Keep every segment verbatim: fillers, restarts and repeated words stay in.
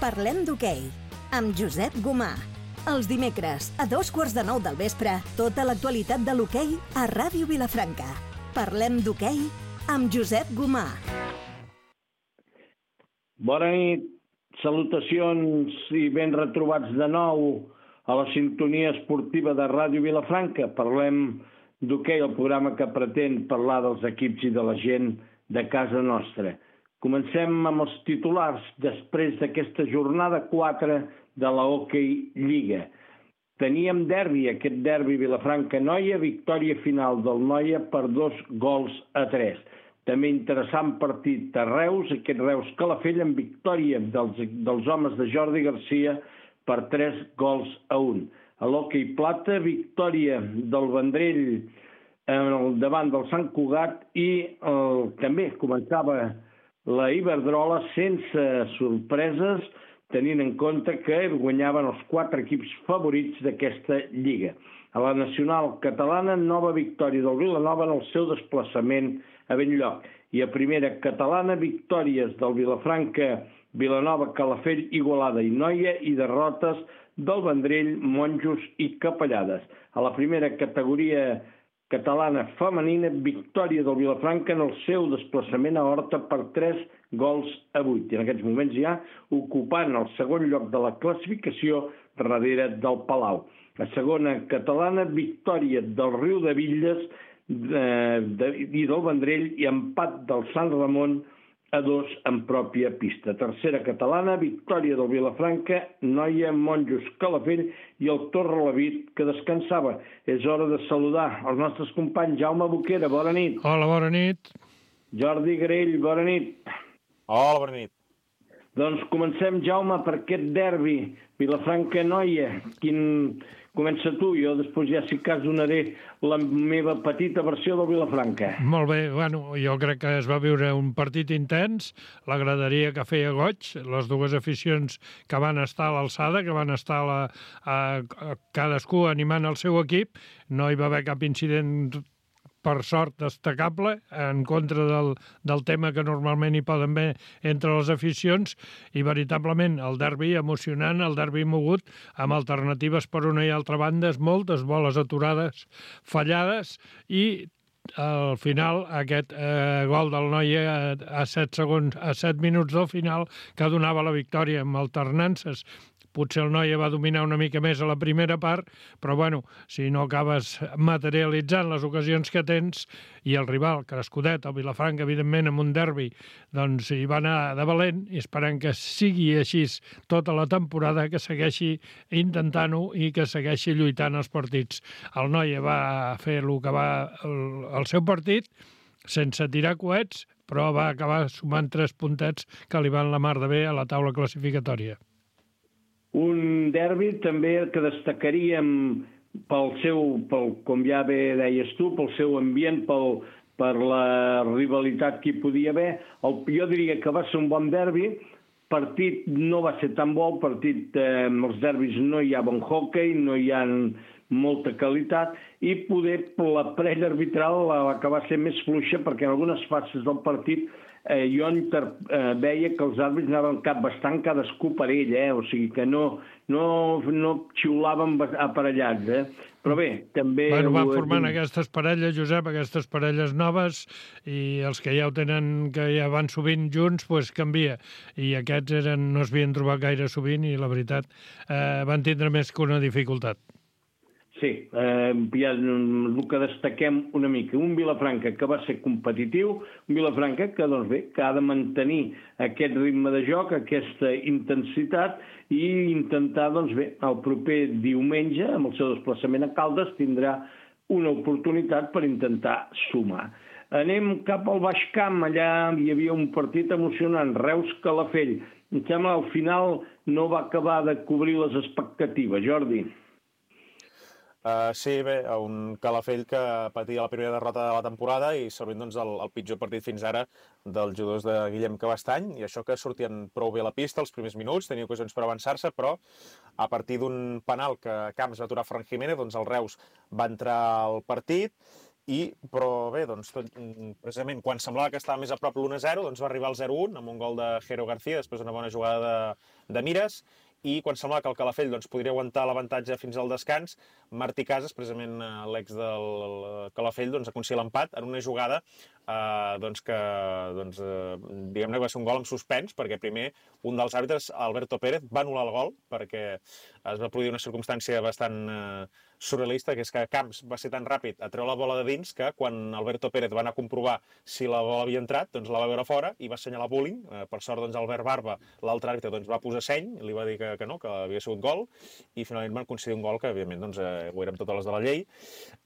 Parlem d'hoquei, amb Josep Gomà. Els dimecres, a dos quarts de nou del vespre, tota l'actualitat de l'hoquei a Ràdio Vilafranca. Parlem d'hoquei amb Josep Gomà. Bona nit, salutacions i ben retrobats de nou a la sintonia esportiva de Ràdio Vilafranca. Parlem d'hoquei, el programa que pretén parlar dels equips i de la gent de casa nostra. Comencem amb els titulars després d'aquesta jornada quatre de la Hockey Lliga. Teníem derbi, aquest derbi Vilafranca-Noia, victòria final del Noia per dos gols a tres. També interessant partit a Reus, aquest Reus-Calafell amb victòria dels, dels homes de Jordi Garcia per tres gols a un. A l'Hockey Plata, victòria del Vendrell eh, davant del Sant Cugat i eh, també començava la Iberdrola sense sorpreses, tenint en compte que guanyaven els quatre equips favorits d'aquesta lliga. A la nacional catalana, nova victòria del Vilanova en el seu desplaçament a Benlloc. I a primera catalana, victòries del Vilafranca, Vilanova, Calafell, Igualada i Noia i derrotes del Vendrell, Monjos i Capellades. A la primera categoria catalana femenina, victòria del Vilafranca en el seu desplaçament a Horta per tres gols a vuit. I en aquests moments ja ocupant el segon lloc de la classificació darrere del Palau. La segona catalana, victòria del Riu de Villes eh, de, i del Vendrell i empat del Sant Ramon a dos en pròpia pista. Tercera catalana, victòria del Vilafranca, Noia, Monjos, Calafell i el Torrelavit, que descansava. És hora de saludar els nostres companys. Jaume Boquera, bona nit. Hola, bona nit. Jordi Grell, bona nit. Hola, bona nit. Doncs comencem, Jaume, per aquest derbi Vilafranca-Noia. Quin... Comença tu, jo després ja si cas donaré la meva petita versió del Vilafranca. Molt bé, bueno, jo crec que es va viure un partit intens, la graderia que feia goig, les dues aficions que van estar a l'alçada, que van estar a la, a, a cadascú animant el seu equip, no hi va haver cap incident per sort destacable, en contra del, del tema que normalment hi poden haver entre les aficions, i veritablement el derbi emocionant, el derbi mogut, amb alternatives per una i altra banda, moltes boles aturades, fallades, i al final aquest eh, gol del Noia a, a set segons, a set minuts del final, que donava la victòria amb alternances. Potser el Noia va dominar una mica més a la primera part, però bueno, si no acabes materialitzant les ocasions que tens, i el rival, Crescudet, el Vilafranca, evidentment, amb un derbi, doncs hi va anar de valent, i esperant que sigui així tota la temporada, que segueixi intentant-ho i que segueixi lluitant els partits. El Noia va fer el que va el, el seu partit, sense tirar coets, però va acabar sumant tres puntets que li van la mar de bé a la taula classificatòria. Un derbi també que destacaríem pel seu, pel, com ja bé deies tu, pel seu ambient, pel, per la rivalitat que hi podia haver. El, jo diria que va ser un bon derbi, partit no va ser tan bo, partit eh, amb els derbis no hi ha bon hockey, no hi ha molta qualitat, i poder la parella arbitral va acabar sent més fluixa perquè en algunes fases del partit Eh, jo inter, eh, veia que els àrbits anaven cap bastant cadascú per ell, eh? O sigui que no, no, no xiulaven aparellats, eh? Però bé, també... Bueno, van formant aquestes parelles, Josep, aquestes parelles noves, i els que ja ho tenen, que ja van sovint junts, doncs canvia. I aquests eren, no es havien trobat gaire sovint i la veritat eh, van tindre més que una dificultat. Sí, eh, ja el que destaquem una mica, un Vilafranca que va ser competitiu, un Vilafranca que, doncs bé, que ha de mantenir aquest ritme de joc, aquesta intensitat, i intentar, doncs bé, el proper diumenge, amb el seu desplaçament a Caldes, tindrà una oportunitat per intentar sumar. Anem cap al Baix Camp, allà hi havia un partit emocionant, Reus-Calafell. Em sembla al final no va acabar de cobrir les expectatives, Jordi. Uh, sí, bé, un Calafell que patia la primera derrota de la temporada i servint doncs, el, el pitjor partit fins ara dels jugadors de Guillem Cabestany, i això que sortien prou bé a la pista els primers minuts, tenia ocasions per avançar-se, però a partir d'un penal que Camps va aturar Fran Jiménez, doncs el Reus va entrar al partit I, però bé, doncs, tot, precisament quan semblava que estava més a prop l'u a zero, doncs va arribar al zero a un amb un gol de Jero García, després d'una bona jugada de, de Mires, i quan semblava que el Calafell doncs, podria aguantar l'avantatge fins al descans, Martí Casas, precisament l'ex del Calafell, doncs, aconseguia l'empat en una jugada eh, doncs, que doncs, eh, diguem-ne que va ser un gol amb suspens, perquè primer un dels àrbitres, Alberto Pérez, va anul·lar el gol, perquè es va produir una circumstància bastant eh, surrealista, que és que Camps va ser tan ràpid a treure la bola de dins que quan Alberto Pérez va anar a comprovar si la bola havia entrat, doncs la va veure fora i va assenyalar bullying. Eh, per sort, doncs, Albert Barba, l'altre àrbitre, doncs, va posar seny, li va dir que, que no, que havia sigut gol, i finalment van concedir un gol que, evidentment, doncs, eh, ho érem totes les de la llei.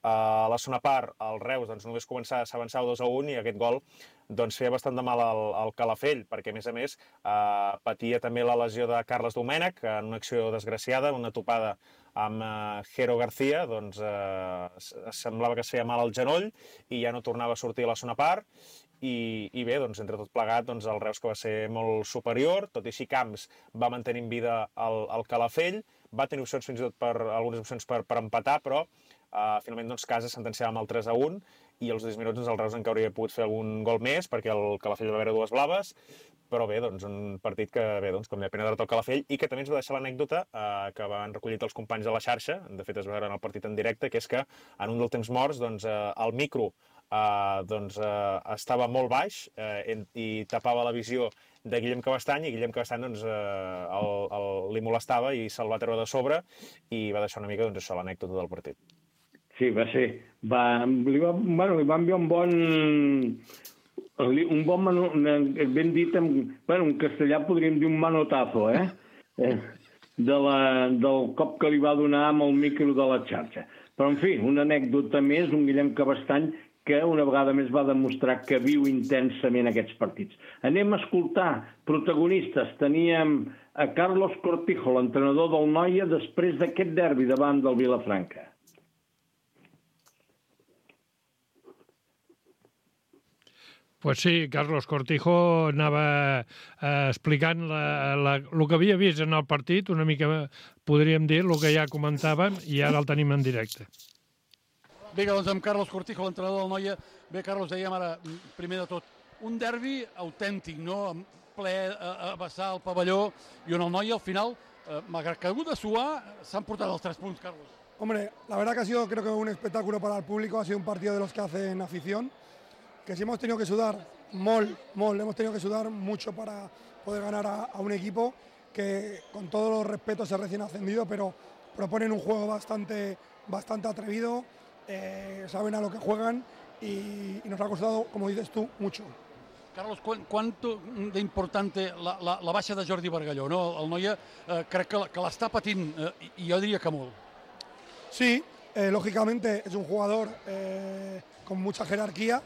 Uh, a la segona part, el Reus doncs, només començava, s'avançava dos a un i aquest gol doncs, feia bastant de mal al, al Calafell, perquè, a més a més, eh, patia també la lesió de Carles Domènech en una acció desgraciada, una topada amb eh, Jero García, doncs eh, semblava que es feia mal al genoll i ja no tornava a sortir a la segona part. I, i bé, doncs, entre tot plegat, doncs, el Reus que va ser molt superior, tot i així Camps va mantenir en vida el, el Calafell, va tenir opcions fins i tot per algunes opcions per, per empatar, però uh, finalment doncs, Casas sentenciava amb el tres a un i als deu minuts doncs, el Reus encara hauria pogut fer algun gol més perquè el Calafell va veure dues blaves, però bé, doncs, un partit que, bé, doncs, com deia, pena derrota al Calafell i que també ens va deixar l'anècdota uh, que van recollir els companys de la xarxa, de fet es va veure en el partit en directe, que és que en un dels temps morts doncs, uh, el micro Uh, doncs, uh, estava molt baix uh, en, i tapava la visió de Guillem Cabestany i Guillem Cabestany doncs, uh, el, el, li molestava i se'l va treure de sobre i va deixar una mica doncs, això, l'anècdota del partit. Sí, va ser. Va, li, va, bueno, li va enviar un bon... Un bon manu, ben dit, en, bueno, en castellà podríem dir un manotazo, eh? eh de la, del cop que li va donar amb el micro de la xarxa. Però, en fi, una anècdota més, un Guillem Cabestany que una vegada més va demostrar que viu intensament aquests partits. Anem a escoltar protagonistes. Teníem a Carlos Cortijo, l'entrenador del Noia, després d'aquest derbi davant del Vilafranca. Pues sí, Carlos Cortijo anava eh, explicant la, la, el que havia vist en el partit, una mica, podríem dir, el que ja comentàvem, i ara el tenim en directe. Vinga, doncs amb Carlos Cortijo, l'entrenador del Noia. Bé, Carlos, dèiem ara, primer de tot, un derbi autèntic, no? Ple a, a vessar el pavelló, i on el Noia, al final, eh, malgrat que ha hagut de suar, s'han portat els tres punts, Carlos. Hombre, la verdad que ha sido, creo que un espectáculo para el público, ha sido un partido de los que hacen afición, que si hemos tenido que sudar, mol, mol, hemos tenido que sudar mucho para poder ganar a, a un equipo que, con todos los respetos, es recién ascendido, pero proponen un juego bastante, bastante atrevido, eh, saben a lo que juegan y, y nos ha costado, como dices tú, mucho. Carlos, quanto d'importante la, la, la baixa de Jordi Bargalló, no? El Noia eh, crec que, que l'està patint, eh, i jo diria que molt. Sí, eh, lógicamente es un jugador eh, con mucha jerarquía,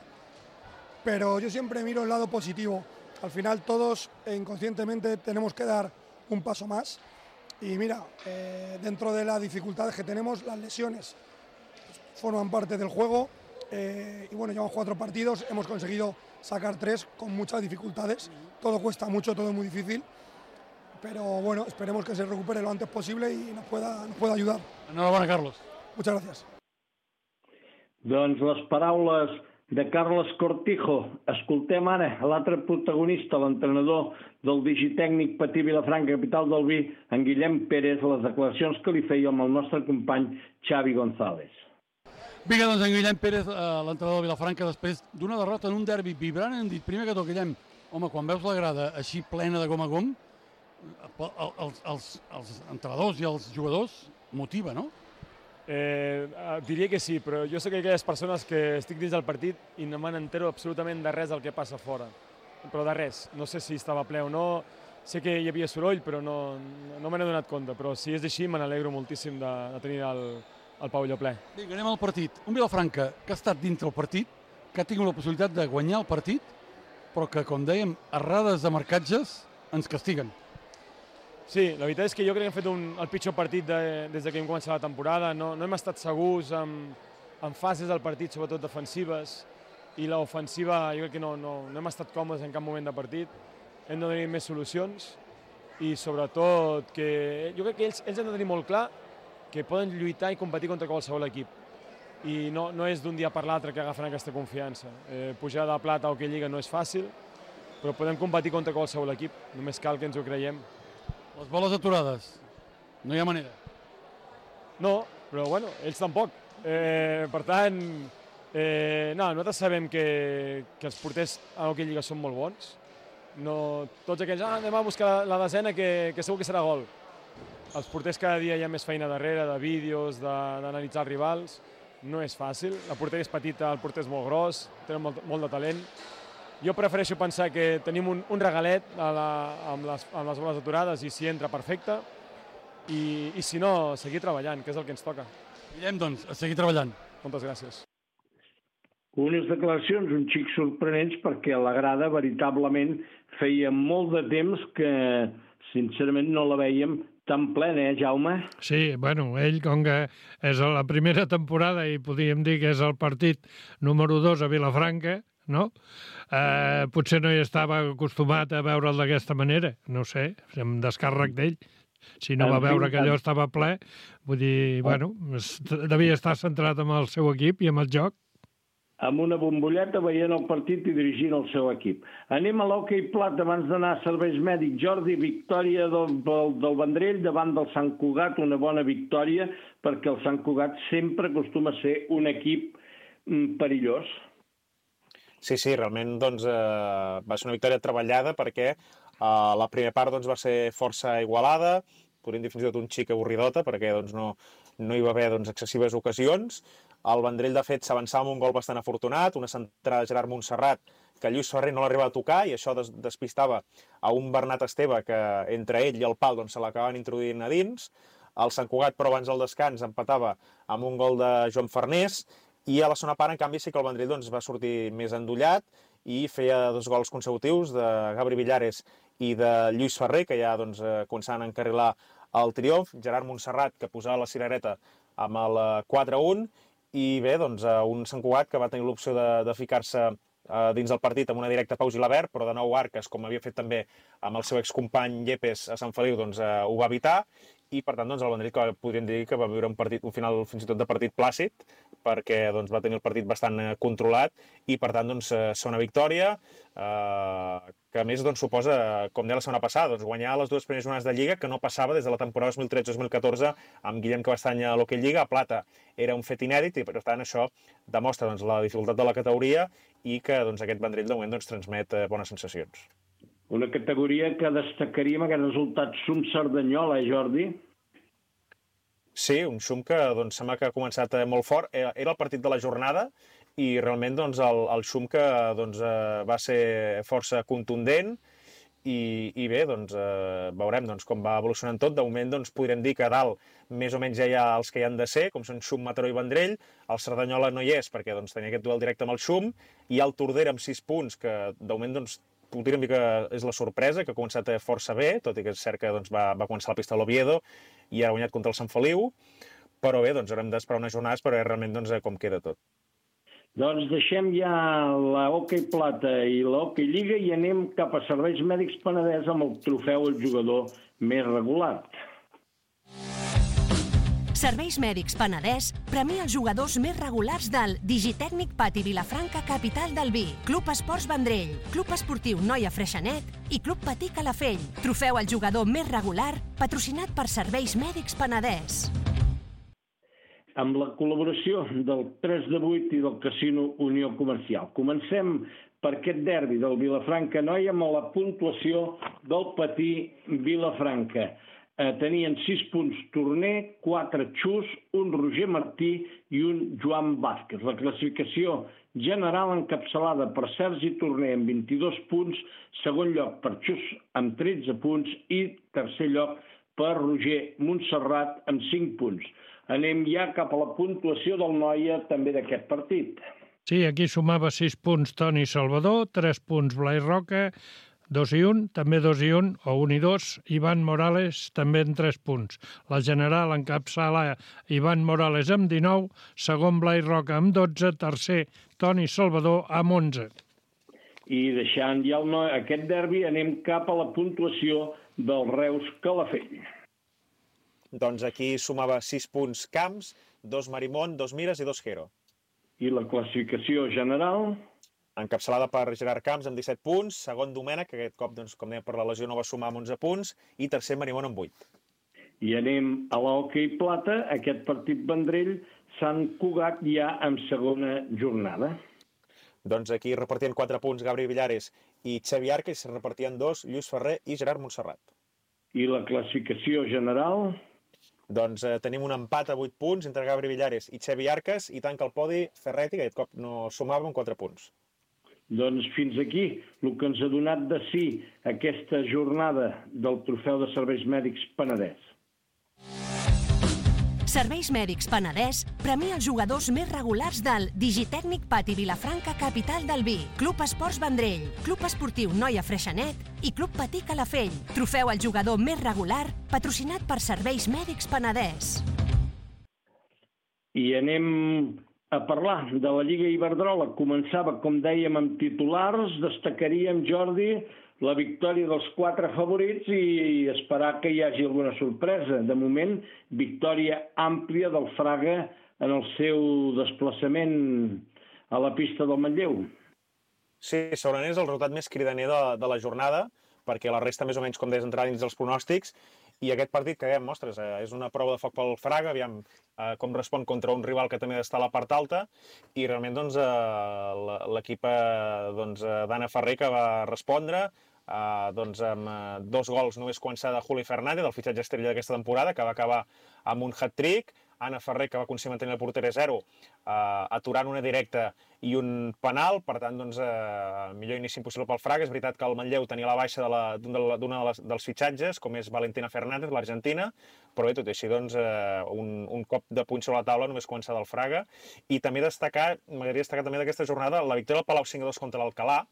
pero yo siempre miro el lado positivo. Al final todos eh, inconscientemente tenemos que dar un paso más y mira, eh, dentro de las dificultades que tenemos, las lesiones forman parte del juego eh, y bueno, llevamos cuatro partidos, hemos conseguido sacar tres con muchas dificultades, todo cuesta mucho, todo es muy difícil, pero bueno, esperemos que se recupere lo antes posible y nos pueda, nos pueda ayudar. Enhorabona, Carlos. Muchas gracias. Doncs les paraules de Carlos Cortijo. Escoltem ara l'altre protagonista, l'entrenador del digitècnic Patí Vilafranca, capital del vi, en Guillem Pérez, les declaracions que li feia amb el nostre company Xavi González. Vinga, doncs en Guillem Pérez, eh, l'entrenador de Vilafranca, després d'una derrota en un derbi vibrant, hem dit primer que tot, Guillem, home, quan veus la grada així plena de gom a gom, els, els, els entrenadors i els jugadors motiva, no? Eh, diria que sí, però jo sé que aquelles persones que estic dins del partit i no me n'entero absolutament de res del que passa fora. Però de res. No sé si estava ple o no. Sé que hi havia soroll, però no, no me n'he donat compte. Però si és així, me n'alegro moltíssim de, de tenir el, el pavelló ple. Vinga, anem al partit. Un Vilafranca que ha estat dintre el partit, que ha tingut la possibilitat de guanyar el partit, però que, com dèiem, errades de marcatges ens castiguen. Sí, la veritat és que jo crec que hem fet un, el pitjor partit de, des que hem començat la temporada. No, no hem estat segurs en, en fases del partit, sobretot defensives, i l'ofensiva jo crec que no, no, no hem estat còmodes en cap moment de partit. Hem de tenir més solucions i sobretot que jo crec que ells, ells han de tenir molt clar que poden lluitar i competir contra qualsevol equip. i no, no és d'un dia per l'altre que agafen aquesta confiança. Eh, pujar de plata a Hockey Lliga no és fàcil, però podem competir contra qualsevol equip, només cal que ens ho creiem. Les boles aturades, no hi ha manera. No, però bueno, ells tampoc. Eh, per tant, eh, no, nosaltres sabem que, que els porters a Hockey Lliga són molt bons. No, tots aquells, ah, anem a buscar la desena que, que segur que serà gol. Els porters cada dia hi ha més feina darrere, de vídeos, d'analitzar els rivals. No és fàcil, la porteria és petita, el porter és molt gros, tenen molt, molt de talent. Jo prefereixo pensar que tenim un, un regalet a la, amb, les, amb les boles aturades i si entra perfecte, i, i si no, seguir treballant, que és el que ens toca. Guillem, doncs, a seguir treballant. Moltes gràcies. Unes declaracions un xic sorprenents perquè a la grada veritablement feia molt de temps que sincerament no la veiem tan plena, eh, Jaume? Sí, bueno, ell, com que és la primera temporada i podríem dir que és el partit número dos a Vilafranca, no? Eh, potser no hi estava acostumat a veure'l d'aquesta manera, no sé, amb descàrrec d'ell. Si no va veure que allò estava ple, vull dir, bueno, devia estar centrat en el seu equip i en el joc. Amb una bombolleta veient el partit i dirigint el seu equip. Anem a l'hoquei plat abans d'anar a serveis mèdics. Jordi, victòria del, del, del Vendrell davant del Sant Cugat, una bona victòria, perquè el Sant Cugat sempre acostuma a ser un equip mm, perillós. Sí, sí, realment doncs, eh, va ser una victòria treballada perquè eh, la primera part doncs, va ser força igualada, podríem dir fins i tot un xic avorridota, perquè doncs, no, no hi va haver doncs, excessives ocasions. El Vendrell, de fet, s'avançava amb un gol bastant afortunat, una centrada de Gerard Montserrat, que Lluís Ferrer no l'arriba a tocar, i això des despistava a un Bernat Esteve, que entre ell i el pal doncs, se l'acabaven introduint a dins. El Sant Cugat, però abans del descans, empatava amb un gol de Joan Farnés, i a la segona part, en canvi, sí que el Vendrell doncs, va sortir més endollat i feia dos gols consecutius de Gabri Villares i de Lluís Ferrer, que ja doncs, començaven a encarrilar el triomf. Gerard Montserrat, que posava la cirereta amb el quatre a un, i bé, doncs, un Sant Cugat que va tenir l'opció de, de ficar-se eh, dins del partit amb una directa Pau Gilabert, però de nou Arques, com havia fet també amb el seu excompany Yepes a Sant Feliu, doncs, eh, ho va evitar, i per tant doncs, el Vendrell que podríem dir que va viure un, partit, un final fins i tot de partit plàcid, perquè doncs, va tenir el partit bastant eh, controlat, i per tant doncs, eh, ser una victòria eh, que a més doncs, suposa, com deia la setmana passada, doncs, guanyar les dues primeres jornades de Lliga, que no passava des de la temporada dos mil tretze dos mil catorze amb Guillem Cabestany a l'Hockey Lliga. A Plata era un fet inèdit i per tant això demostra doncs, la dificultat de la categoria i que doncs, aquest Vendrell de moment doncs, transmet eh, bones sensacions. Una categoria que destacaríem aquest resultat Sum-Cerdanyola, eh, Jordi? Sí, un Xum que doncs, sembla que ha començat molt fort. Era el partit de la jornada i realment doncs, el, el Xum que doncs, va ser força contundent i, i bé, doncs, eh, veurem doncs, com va evolucionant tot. De moment doncs, podrem dir que a dalt més o menys ja hi ha els que hi han de ser, com són Xum, Mataró i Vendrell. El Cerdanyola no hi és perquè doncs, tenia aquest duel directe amb el Xum. Hi ha el Tordera amb sis punts, que de moment doncs, podríem dir que és la sorpresa, que ha començat força bé, tot i que és cert que doncs, va, va començar la pista de l'Oviedo i ha guanyat contra el Sant Feliu. Però bé, doncs, haurem d'esperar unes jornades per veure realment doncs, com queda tot. Doncs deixem ja la Hockey Plata i la Hockey Lliga i anem cap a Serveis Mèdics Penedès amb el trofeu al jugador més regular. Serveis Mèdics Penedès premia els jugadors més regulars del Digitècnic Pati Vilafranca, capital del vi, Club Esports Vendrell, Club Esportiu Noia Freixenet i Club Patí Calafell. Trofeu al jugador més regular, patrocinat per Serveis Mèdics Penedès. Amb la col·laboració del tres de vuit i del Casino Unió Comercial. Comencem per aquest derbi del Vilafranca Noia amb la puntuació del Patí Vilafranca. Eh, tenien sis punts Torner, quatre Xus, un Roger Martí i un Joan Vázquez. La classificació general encapçalada per Sergi Torner amb vint-i-dos punts, segon lloc per Xus amb tretze punts i tercer lloc per Roger Montserrat amb cinc punts. Anem ja cap a la puntuació del Noia també d'aquest partit. Sí, aquí sumava sis punts Toni Salvador, tres punts Blai Roca, dos i un, també dos i un, o un i dos, Ivan Morales també en tres punts. La general encapçala Ivan Morales amb dinou, segon Blai Roca amb dotze, tercer Toni Salvador amb onze. I deixant ja el Noia, aquest derbi, anem cap a la puntuació del Reus Calafell. Doncs aquí sumava sis punts Camps, dos Marimón, dos Mires i dos Hero. I la classificació general? Encapçalada per Gerard Camps amb disset punts, segon Domènech, que aquest cop, doncs, com dèiem, per la lesió no va sumar amb onze punts, i tercer Marimón amb vuit. I anem a l'hoquei plata. Aquest partit Vendrell, Sant Cugat ja en segona jornada. Doncs aquí repartien quatre punts Gabri Villares i Xavi Arca, i se repartien dos Lluís Ferrer i Gerard Montserrat. I la classificació general? Doncs eh, tenim un empat a vuit punts entre Gabri Villares i Xavi Arcas, i tanca el podi Ferretti, que aquest cop no sumava amb quatre punts. Doncs fins aquí el que ens ha donat de sí aquesta jornada del Trofeu de Serveis Mèdics Penedès. Serveis Mèdics Penedès premia els jugadors més regulars del Digitècnic Pati Vilafranca, capital del vi, Club Esports Vendrell, Club Esportiu Noia Freixenet i Club Patí Calafell. Trofeu al jugador més regular, patrocinat per Serveis Mèdics Penedès. I anem a parlar de la Lliga Iberdrola. Començava, com dèiem, amb titulars. Destacaríem, Jordi, la victòria dels quatre favorits i esperar que hi hagi alguna sorpresa. De moment, victòria àmplia del Fraga en el seu desplaçament a la pista del Manlleu. Sí, segurament és el resultat més cridaner de, de la jornada, perquè la resta més o menys, com deies, entrava dins dels pronòstics, i aquest partit que dèiem, ostres, eh, és una prova de foc pel Fraga, aviam eh, com respon contra un rival que també ha d'estar a la part alta, i realment doncs, eh, l'equip eh, doncs, d'Anna Ferrer que va respondre, Uh, doncs amb uh, dos gols només començar de Juli Fernández, el fitxatge estrella d'aquesta temporada, que va acabar amb un hat-trick. Anna Ferrer, que va aconseguir mantenir el porter a zero, uh, aturant una directa i un penal. Per tant, doncs, uh, millor inici impossible pel Fraga. És veritat que el Manlleu tenia la baixa d'un de de de dels fitxatges, com és Valentina Fernández, l'argentina, però bé, tot i així, doncs, uh, un, un cop de puny sobre la taula només començar del Fraga. I també destacar, m'agradaria destacar també d'aquesta jornada, la victòria del Palau cinc a dos contra l'Alcalà,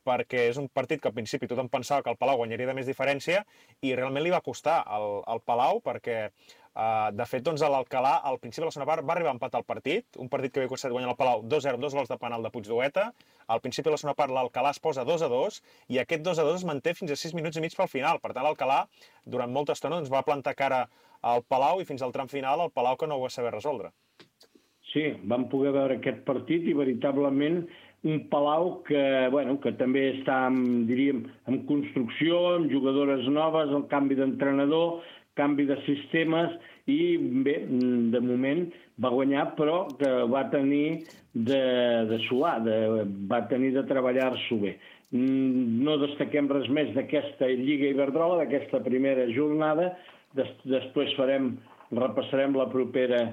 perquè és un partit que al principi tothom pensava que el Palau guanyaria de més diferència i realment li va costar al, al Palau perquè, uh, de fet, doncs, l'Alcalà al principi de la segona part va arribar a empatar el partit, un partit que havia costat guanyar el Palau dos a zero, dos gols de penal de Puigdueta. Al principi de la segona part l'Alcalà es posa dos a dos i aquest dos a dos es manté fins a sis minuts i mig pel final. Per tant, l'Alcalà durant molta estona doncs, va plantar cara al Palau i fins al tram final el Palau que no ho va saber resoldre. Sí, vam poder veure aquest partit i veritablement un Palau que, bueno, que també està, en, diríem, en construcció, amb jugadores noves, el canvi d'entrenador, canvi de sistemes, i bé, de moment va guanyar, però que va tenir de, de suar, de, va tenir de treballar-s'ho bé. No destaquem res més d'aquesta Lliga Iberdrola, d'aquesta primera jornada, Des, després farem, repassarem la propera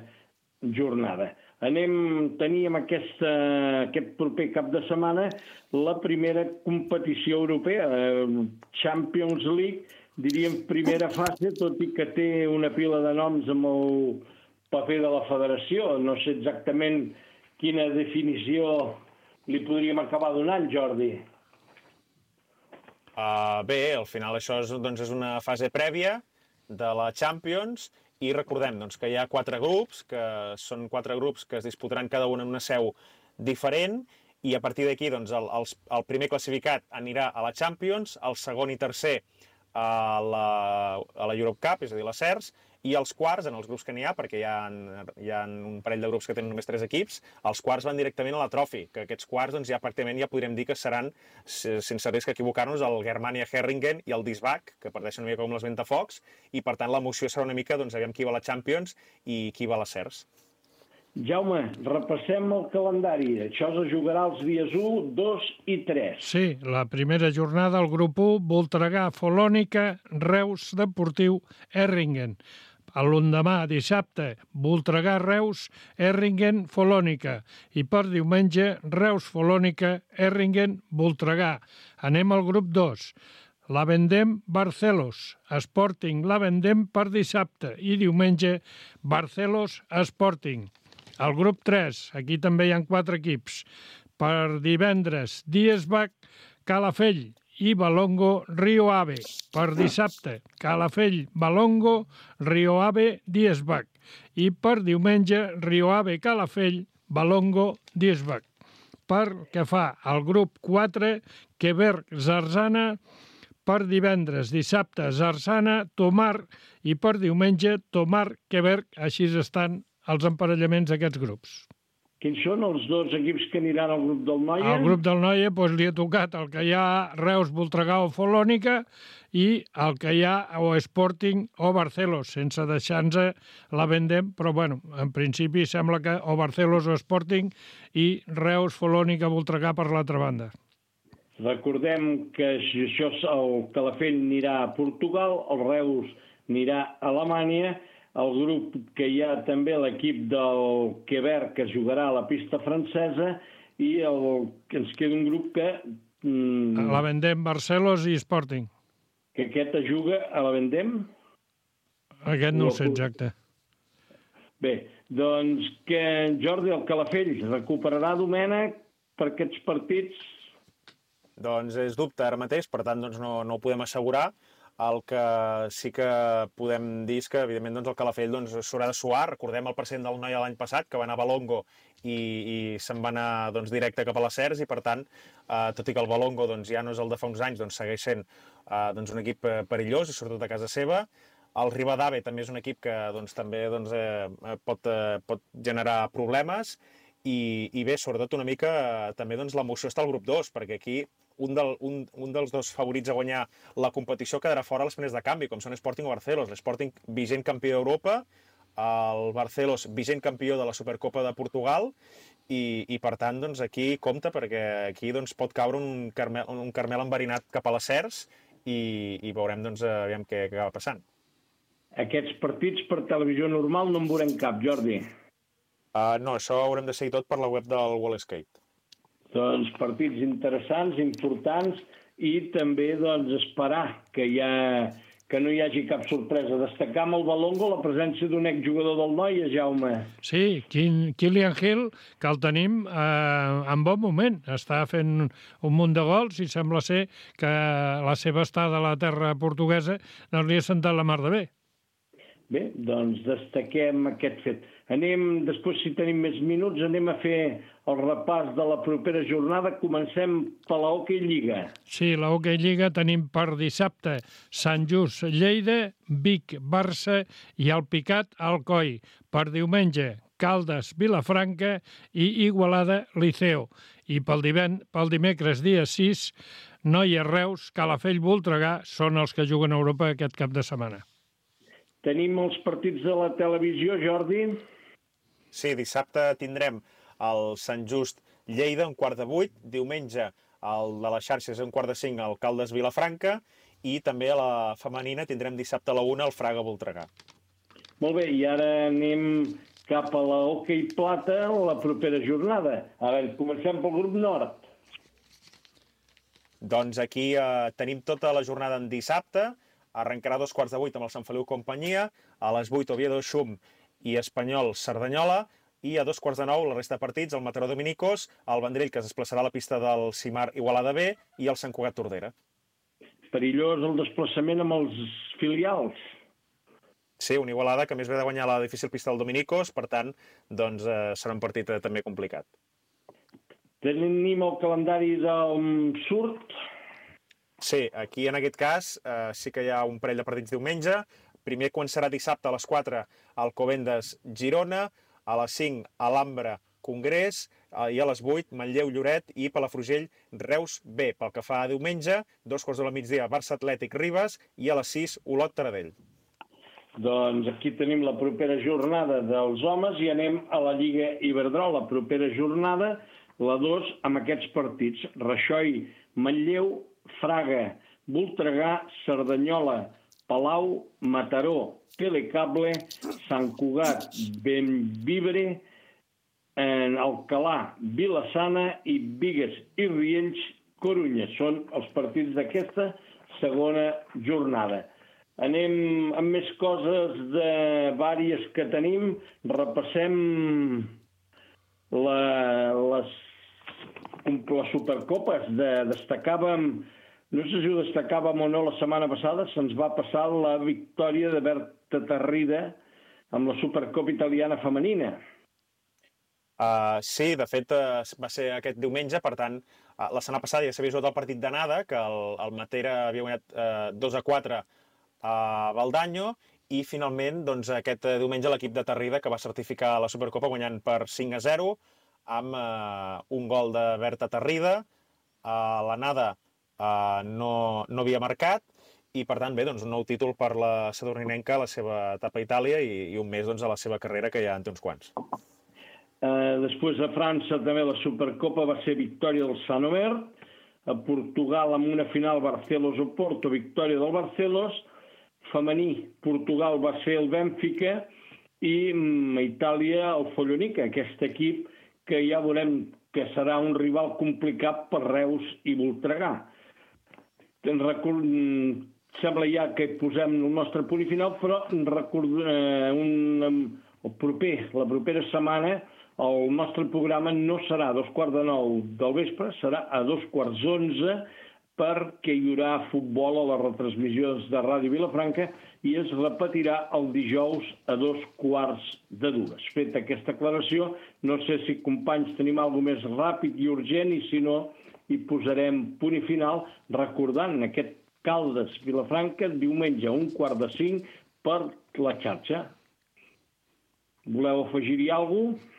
jornada. Anem, teníem aquesta, aquest proper cap de setmana la primera competició europea, Champions League, diríem primera fase, tot i que té una pila de noms amb el paper de la federació. No sé exactament quina definició li podríem acabar donant, Jordi. Uh, bé, al final això és, doncs, és una fase prèvia de la Champions. I recordem doncs, que hi ha quatre grups, que són quatre grups que es disputaran cada un en una seu diferent, i a partir d'aquí doncs, el, el, el primer classificat anirà a la Champions, el segon i tercer a la, a la Europe Cup, és a dir, la CERS, i els quarts, en els grups que n'hi ha, perquè hi ha, hi ha un parell de grups que tenen només tres equips, els quarts van directament a la Trophy, que aquests quarts doncs, ja pràcticament ja podríem dir que seran, sense risc equivocar-nos, el Germania Herringen i el Disbach, que parteixen una mica com les Ventafocs, i per tant l'emoció serà una mica, doncs, aviam qui va a la Champions i qui va a la CERS. Jaume, repassem el calendari. Això es jugarà els dies u, dos i tres. Sí, la primera jornada, el grup u, Voltregà, Folònica, Reus, Deportiu, Erringen. L'endemà, dissabte, Voltregà, Reus, Erringen, Folònica. I per diumenge, Reus, Folònica, Erringen, Voltregà. Anem al grup dos. L'Avendem, Barcelos, Sporting, l'Avendem per dissabte. I diumenge, Barcelos, Sporting. El grup tres, aquí també hi ha quatre equips. Per divendres, Diesbach, Calafell i Balongo, Rio Ave. Per dissabte, Calafell, Balongo, Rio Ave, Diesbach. I per diumenge, Rio Ave, Calafell, Balongo, Diesbach. Per què fa el grup quatre, Quebec, Zarzana, per divendres, dissabte, Zarzana, Tomar, i per diumenge, Tomar, Quebec, així estan els emparellaments d'aquests grups. Quins són els dos equips que aniran al grup del Noia? Al grup del Noia doncs, li ha tocat el que hi ha Reus, Voltregà o Folònica i el que hi ha o Sporting o Barcelos, sense deixar-nos la Vendem, però bueno, en principi sembla que o Barcelos o Sporting i Reus, Folònica, Voltregà per l'altra banda. Recordem que això, el Calafell anirà a Portugal, el Reus anirà a Alemanya, el grup que hi ha també l'equip del Quebec que jugarà a la pista francesa i el, que ens queda un grup que... Mm, la Vendem, Barcelos i Sporting. Que aquest es juga a la Vendem? Aquest no ho sé exacte. Bé, doncs que Jordi, el Calafell, recuperarà Domènec per aquests partits? Doncs és dubte ara mateix, per tant doncs no, no ho podem assegurar. El que sí que podem dir és que, evidentment, doncs, el Calafell doncs, s'haurà de suar. Recordem el president del Noia l'any passat, que va anar a Balongo i, i se'n va anar doncs, directe cap a les Cercs, i per tant, eh, tot i que el Balongo doncs, ja no és el de fa uns anys, doncs, segueix sent eh, doncs, un equip perillós, i sobretot a casa seva. El Ribadave també és un equip que doncs, també doncs, eh, pot, eh, pot generar problemes, i, i bé, sobretot una mica eh, també doncs, l'emoció està al grup dos, perquè aquí Un, del, un, un dels dos favorits a guanyar la competició quedarà fora a les primeres de canvi, com són Sporting o Barcelos. L'Sporting, vigent campió d'Europa, el Barcelos, vigent campió de la Supercopa de Portugal, i, i per tant, doncs, aquí compta, perquè aquí doncs, pot caure un carmel, un carmel enverinat cap a les Cercs, i, i veurem doncs, aviam què, què acaba passant. Aquests partits per televisió normal no en veurem cap, Jordi. Uh, no, això ho haurem de seguir tot per la web del Wallskate. Doncs partits interessants, importants, i també doncs, esperar que, hi ha, que no hi hagi cap sorpresa. Destacar amb el Balongo la presència d'un exjugador del Noia, Jaume. Sí, Kylian Hill, que el tenim eh, en bon moment. Està fent un munt de gols i sembla ser que la seva estada a la terra portuguesa no li ha sentat la mar de bé. Bé, doncs destaquem aquest fet. Anem, després, si tenim més minuts, anem a fer el repàs de la propera jornada. Comencem per la Hockey Lliga. Sí, la Hockey Lliga tenim per dissabte Sant Just, Lleida, Vic, Barça i el Picat, Alcoi. Per diumenge, Caldes, Vilafranca i Igualada, Liceo. I pel, divend, pel dimecres, dia sis, Noia, Reus, Calafell, Voltregà són els que juguen a Europa aquest cap de setmana. Tenim els partits de la televisió, Jordi? Sí, dissabte tindrem el Sant Just Lleida, un quart de vuit, diumenge el de les xarxes, un quart de cinc, el Caldes Vilafranca, i també a la femenina tindrem dissabte a la una el Fraga Voltregà. Molt bé, i ara anem cap a la Hockey Plata la propera jornada. Ara comencem pel grup nord. Doncs aquí eh, tenim tota la jornada en dissabte. Arrencarà a dos quarts de vuit amb el Sant Feliu Companyia, a les vuit Oviedo Xum i Espanyol Cerdanyola, i a dos quarts de nou la resta de partits, el Mataró Dominicos, el Vendrell, que es desplaçarà a la pista del Simar Igualada B, i el Sant Cugat Tordera. Perillós el desplaçament amb els filials. Sí, un Igualada que més ve de guanyar la difícil pista del Dominicos, per tant, doncs, eh, serà un partit eh, també complicat. Tenim el calendari del surt. Sí, aquí en aquest cas eh, sí que hi ha un parell de partits diumenge. Primer començarà dissabte a les quatre Alcobendas Girona, a les cinc Alhambra Congrés, eh, i a les vuit Manlleu Lloret i Palafrugell Reus B. Pel que fa a diumenge, dos quarts de la migdia Barça Atlètic Ribes i a les sis Olot Taradell. Doncs aquí tenim la propera jornada dels homes i anem a la Lliga Iberdrola. La propera jornada, la dos, amb aquests partits. Raixoi, Manlleu, Fraga, Voltregà, Cerdanyola, Palau, Mataró, Telecable, Sant Cugat, Bellvitge, Alcalà, Vilassana i Bigues i Riells, Corunya. Són els partits d'aquesta segona jornada. Anem amb més coses de vàries que tenim. Repassem la, les, les supercopes. De, destacàvem, no sé si ho destacàvem o no la setmana passada, se'ns va passar la victòria de Berta Tarrida amb la Supercopa italiana femenina. Uh, sí, de fet uh, va ser aquest diumenge, per tant, uh, la setmana passada ja s'havia jugat el partit d'anada, que el, el Matera havia guanyat uh, dos a quatre a Valdanyo, i finalment doncs, aquest diumenge l'equip de Tarrida que va certificar la Supercopa guanyant per cinc a zero amb eh, un gol de Berta Tarrida. Uh, l'anada uh, no, no havia marcat i per tant bé, doncs, un nou títol per la sadurninenca a la seva etapa a Itàlia i, i un més doncs, a la seva carrera que ja en té uns quants. Uh, després a França també la Supercopa va ser victòria del Sant Omer, a Portugal amb una final Barcelos-Oporto, victòria del Barcelos, femení Portugal va ser el Benfica i a Itàlia el Follonica, aquest equip que ja veurem que serà un rival complicat per Reus i Voltregà. Record... Sembla ja que posem el nostre punt i final, però record... eh, un... el proper, la propera setmana el nostre programa no serà a dos quarts de nou del vespre, serà a dos quarts d'onze, perquè hi haurà futbol a les retransmissions de Ràdio Vilafranca i es repetirà el dijous a dos quarts de dues. Feta aquesta aclaració, no sé si, companys, tenim alguna més ràpid i urgent i si no, hi posarem punt i final recordant aquest Caldes Vilafranca diumenge a un quart de cinc per la xarxa. Voleu afegir-hi alguna cosa?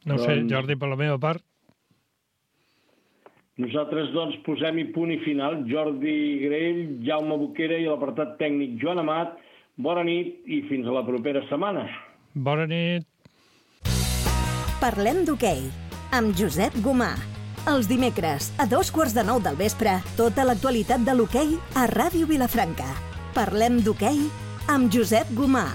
No sé, Jordi, per la meva part. Nosaltres, doncs, posem-hi punt i final. Jordi Grell, Jaume Boquera i l'apartat tècnic Joan Amat. Bona nit i fins a la propera setmana. Bona nit. Parlem d'hoquei amb Josep Gomà. Els dimecres, a dos quarts de nou del vespre, tota l'actualitat de l'hoquei a Ràdio Vilafranca. Parlem d'hoquei amb Josep Gomà.